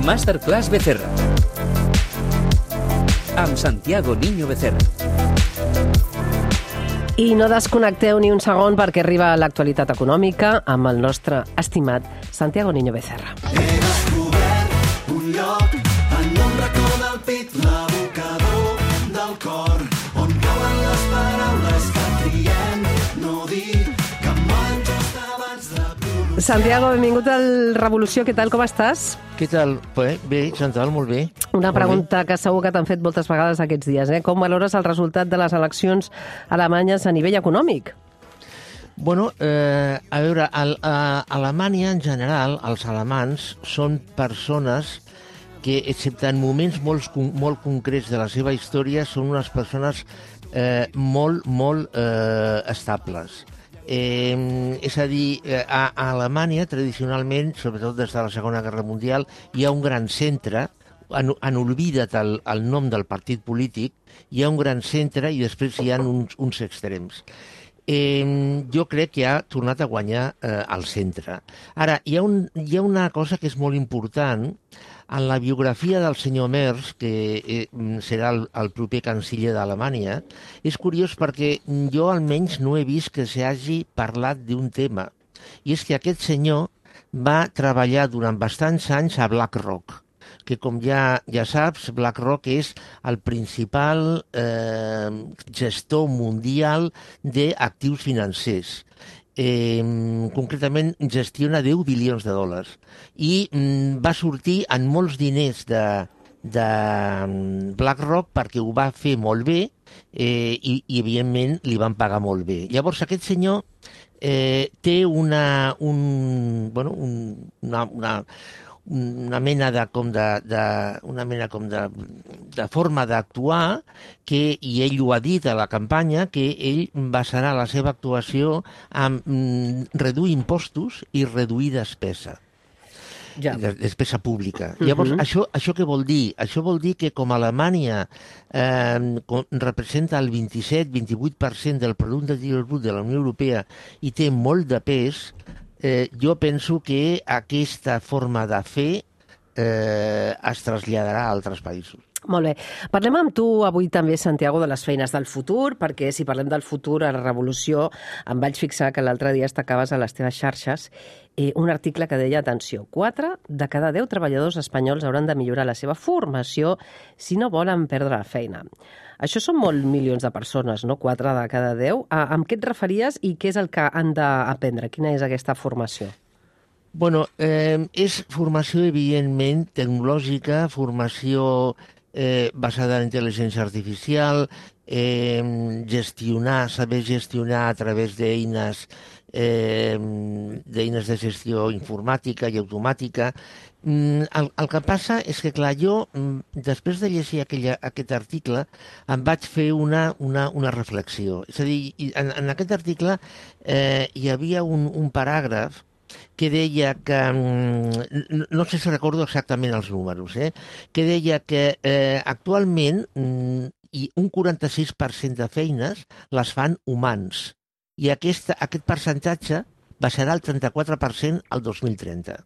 Masterclass Becerra. Amb Santiago Niño Becerra. I no desconnecteu ni un segon perquè arriba l'actualitat econòmica amb el nostre estimat Santiago Niño Becerra. He descobert un lloc en un racó del pit, l'abocador del cor, on cauen les paraules que triem no dir, que moren just abans de pronunciar. Santiago, benvingut al Revolució. Què tal, com estàs? Què tal? Bé, Chantal, molt bé. Una pregunta que segur que t'han fet moltes vegades aquests dies. Com valores el resultat de les eleccions alemanyes a nivell econòmic? Bueno, a veure, a Alemanya, en general, els alemans són persones que, excepte en moments molt concrets de la seva història, són unes persones molt estables. És a dir, a Alemanya, tradicionalment, sobretot des de la Segona Guerra Mundial, hi ha un gran centre, han oblidat el nom del partit polític, hi ha un gran centre i després hi ha uns extrems. Jo crec que ha tornat a guanyar el centre. Ara, hi ha una cosa que és molt important. En la biografia del senyor Merz, que serà el proper canciller d'Alemanya, és curiós perquè jo almenys no he vist que s'hagi parlat d'un tema. I és que aquest senyor va treballar durant bastants anys a BlackRock, que com ja saps, BlackRock és el principal gestor mundial d'actius financers. Concretament gestiona 10 bilions de dòlars i va sortir en molts diners de BlackRock perquè ho va fer molt bé i evidentment li van pagar molt bé. Llavors aquest senyor té una mena de forma d'actuar i ell ho ha dit a la campanya, que ell basarà la seva actuació en reduir impostos i reduir despesa. Despesa pública. Llavors, això què vol dir? Això vol dir que com Alemanya representa el 27-28% del producte interior brut de la Unió Europea i té molt de pes, jo penso que aquesta forma de fer es traslladarà a altres països. Molt bé. Parlem amb tu avui també, Santiago, de les feines del futur, perquè si parlem del futur a la Revolució, em vaig fixar que l'altre dia destacaves a les teves xarxes un article que deia, atenció, 4 de cada 10 treballadors espanyols hauran de millorar la seva formació si no volen perdre la feina. Això són molts milions de persones, no? 4 de cada 10. Amb què et referies i què és el que han d'aprendre? Quina és aquesta formació? Bueno, és formació, evidentment, tecnològica, formació basada en intel·ligència artificial, saber gestionar a través d'eines de gestió informàtica i automàtica. El que passa és que, clar, jo, després de llegir aquest article, em vaig fer una reflexió. És a dir, en aquest article hi havia un paràgraf que deia que, no sé si recordo exactament els números, que deia que actualment un 46% de feines les fan humans i aquest percentatge baixarà al 34% al 2030.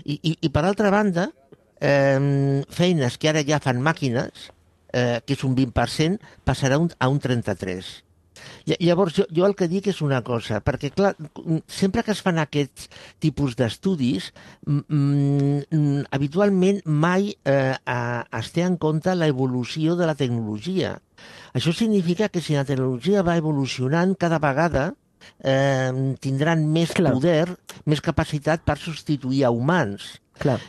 I per altra banda, feines que ara ja fan màquines, que és un 20%, passarà a un 33%. Llavors, jo el que dic és una cosa, perquè, clar, sempre que es fan aquests tipus d'estudis, habitualment mai es té en compte l'evolució de la tecnologia. Això significa que si la tecnologia va evolucionant, cada vegada tindran més poder, més capacitat per substituir a humans. Clar.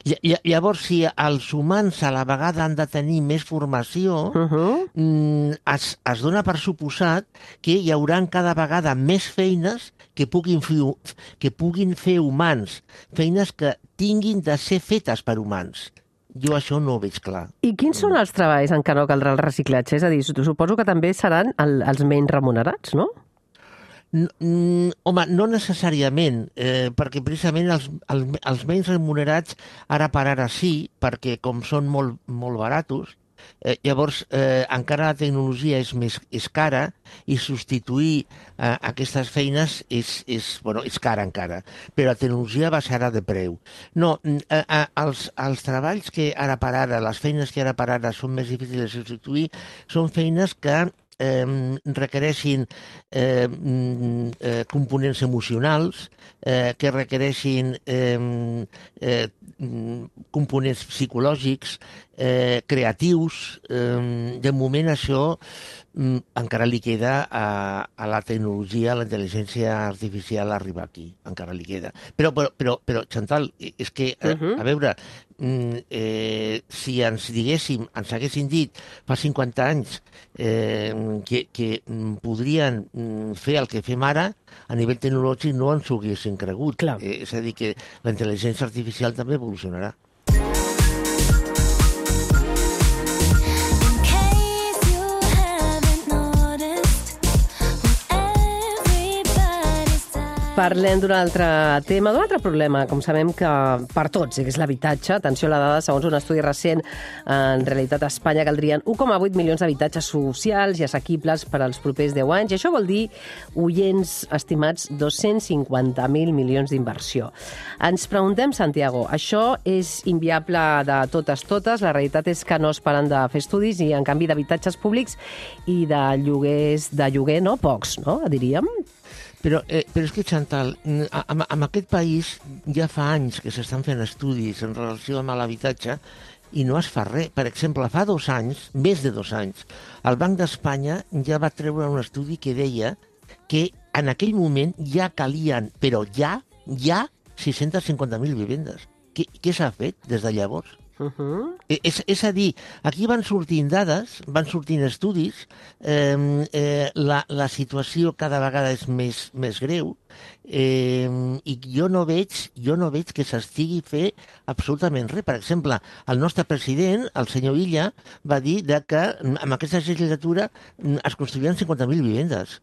Llavors, si els humans a la vegada han de tenir més formació, es dona per suposat que hi haurà cada vegada més feines que puguin fer humans, feines que tinguin de ser fetes per humans. Jo això no ho veig clar. I quins són els treballs en què no caldrà el reciclatge? És a dir, suposo que també seran els menys remunerats, no? Home, no necessàriament, perquè precisament els menys remunerats ara per ara sí, perquè com són molt baratos, Llavors, encara la tecnologia és cara i substituir aquestes feines és cara encara, però la tecnologia baixarà de preu. No, els treballs que ara per ara, les feines que ara per ara són més difícils de substituir, són feines que requereixin components emocionals, que requereixin components psicològics, creatius. De moment això encara li queda a la tecnologia, a la intel·ligència artificial arribar aquí, encara li queda. Però Chantal, és que, a veure, si ens haguessin dit fa 50 anys que podrien fer el que fem ara, a nivell tecnològic no ens ho haguessin cregut. És a dir, que la intel·ligència artificial també evolucionarà. Parlem d'un altre tema, d'un altre problema, com sabem que per tots, que és l'habitatge. Atenció a la dada, segons un estudi recent, en realitat a Espanya caldrien 1,8 milions d'habitatges socials i assequibles per als propers 10 anys. I això vol dir, oients estimats, 250.000 milions d'inversió. Ens preguntem, Santiago, això és inviable de totes? La realitat és que no es paren de fer estudis i, en canvi, d'habitatges públics i de lloguer, no? Pocs, no? Diríem. Però és que, Chantal, en aquest país ja fa anys que s'estan fent estudis en relació amb l'habitatge i no es fa res. Per exemple, fa 2 anys, més de 2 anys, el Banc d'Espanya ja va treure un estudi que deia que en aquell moment ja calien, però ja 650.000 vivendes. Què s'ha fet des de llavors? És a dir, aquí van sortint dades, van sortint estudis, la situació cada vegada és més greu, i jo no veig que s'estigui fer absolutament res. Per exemple, el nostre president, el senyor Illa, va dir que en aquesta legislatura es construiran 50.000 vivendes.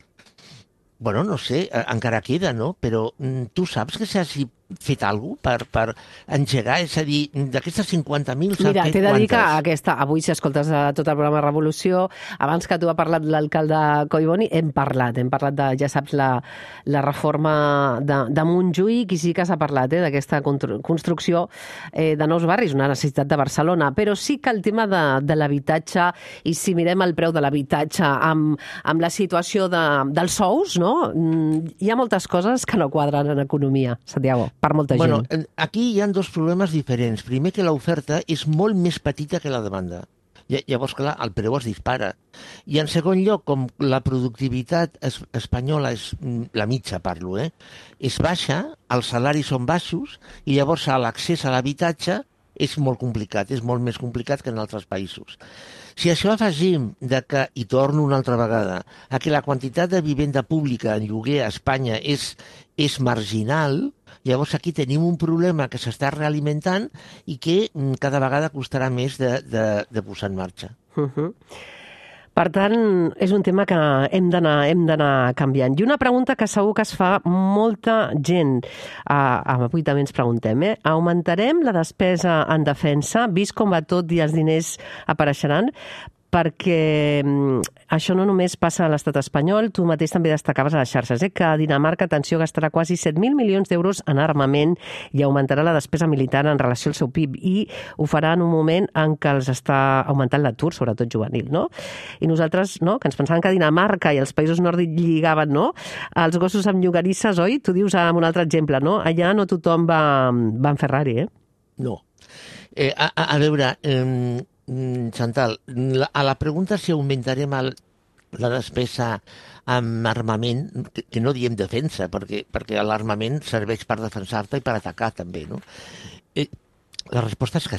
Bueno, no sé, encara queda, no? Però tu saps que s'hagi fet alguna cosa per engegar? És a dir, d'aquestes 50.000 s'han fet quantes? Mira, t'he de dir que avui, si escoltes tot el programa Revolució, abans que tu ha parlat l'alcalde Collboni, hem parlat de, ja saps, la reforma de Montjuïc, i sí que s'ha parlat d'aquesta construcció de nous barris, una necessitat de Barcelona, però sí que el tema de l'habitatge, i si mirem el preu de l'habitatge amb la situació dels sous, no? Hi ha moltes coses que no quadren en economia, Santiago, per molta gent. Aquí hi ha 2 problemes diferents. Primer, que l'oferta és molt més petita que la demanda. Llavors, clar, el preu es dispara. I en segon lloc, com la productivitat espanyola, és la mitja, parlo, és baixa, els salaris són baixos, i llavors l'accés a l'habitatge és molt complicat, és molt més complicat que en altres països. Si això afegim i torno una altra vegada, a que la quantitat de vivenda pública en lloguer a Espanya és marginal, llavors aquí tenim un problema que s'està realimentant i que cada vegada costarà més de posar en marxa. Per tant, és un tema que hem d'anar canviant. I una pregunta que segur que es fa molta gent, avui també ens preguntem, augmentarem la despesa en defensa, vist com va tot i els diners apareixeran? Perquè això no només passa a l'estat espanyol, tu mateix també destacaves a les xarxes, que Dinamarca, atenció, gastarà quasi 7.000 milions d'euros en armament i augmentarà la despesa militar en relació al seu PIB, i ho farà en un moment en què els està augmentant l'atur, sobretot juvenil, no? I nosaltres, no?, que ens pensàvem que Dinamarca i els països nòrdics lligaven, no?, els gossos amb llogarisses, oi? Tu dius amb un altre exemple, no? Allà no tothom va en Ferrari, No. A veure... Chantal, a la pregunta si augmentarem la despesa amb armament, que no diem defensa, perquè l'armament serveix per defensar-te i per atacar també, no? La resposta és que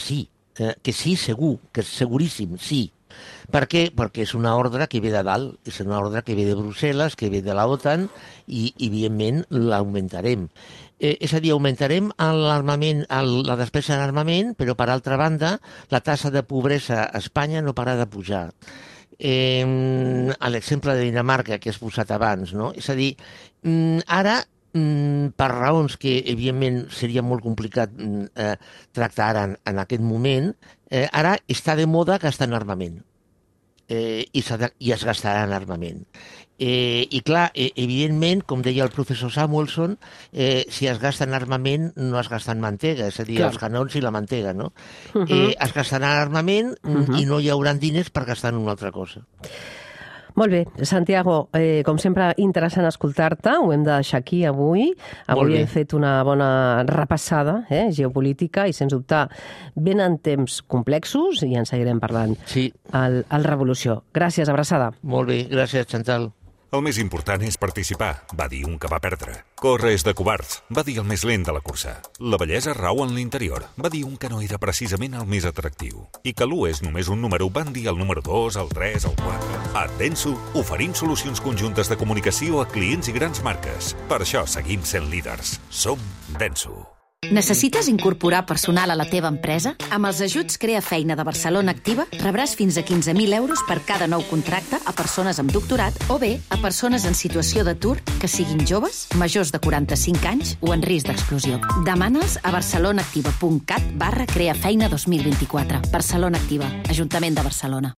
sí, segur, que és seguríssim, sí. Per què? Perquè és una ordre que ve de dalt, és una ordre que ve de Brussel·les, que ve de la OTAN, i evidentment l'augmentarem. És a dir, augmentarem l'armament, la despesa en armament, però per altra banda la taxa de pobresa a Espanya no para de pujar. A l'exemple de Dinamarca que has posat abans, no? És a dir, ara per raons que, evidentment, seria molt complicat tractar ara en aquest moment, ara està de moda gastar en armament. I es gastarà en armament. I clar, evidentment, com deia el professor Samuelson, si es gasta en armament no es gasta en mantega, és a dir, els canons i la mantega, no? Es gastarà en armament i no hi haurà diners per gastar en una altra cosa. Molt bé. Santiago, com sempre, interessant escoltar-te. Ho hem de deixar aquí avui. Avui hem fet una bona repassada geopolítica i, sens dubte, venen temps complexos i en seguirem parlant al Revolució. Gràcies, abraçada. Molt bé, gràcies, Chantal. El més important és participar, va dir un que va perdre. Córrer és de covards, va dir el més lent de la cursa. La bellesa rau en l'interior, va dir un que no era precisament el més atractiu. I que l'1 és només un número, van dir el número 2, el 3, el 4. A Denso oferim solucions conjuntes de comunicació a clients i grans marques. Per això seguim sent líders. Som Denso. Necessites incorporar personal a la teva empresa? Amb els ajuts Crea Feina de Barcelona Activa rebràs fins a 15.000 euros per cada nou contracte a persones amb doctorat o bé a persones en situació d'atur que siguin joves, majors de 45 anys o en risc d'exclusió. Demana'ls a barcelonaactiva.cat/creafeina 2024. Barcelona Activa, Ajuntament de Barcelona.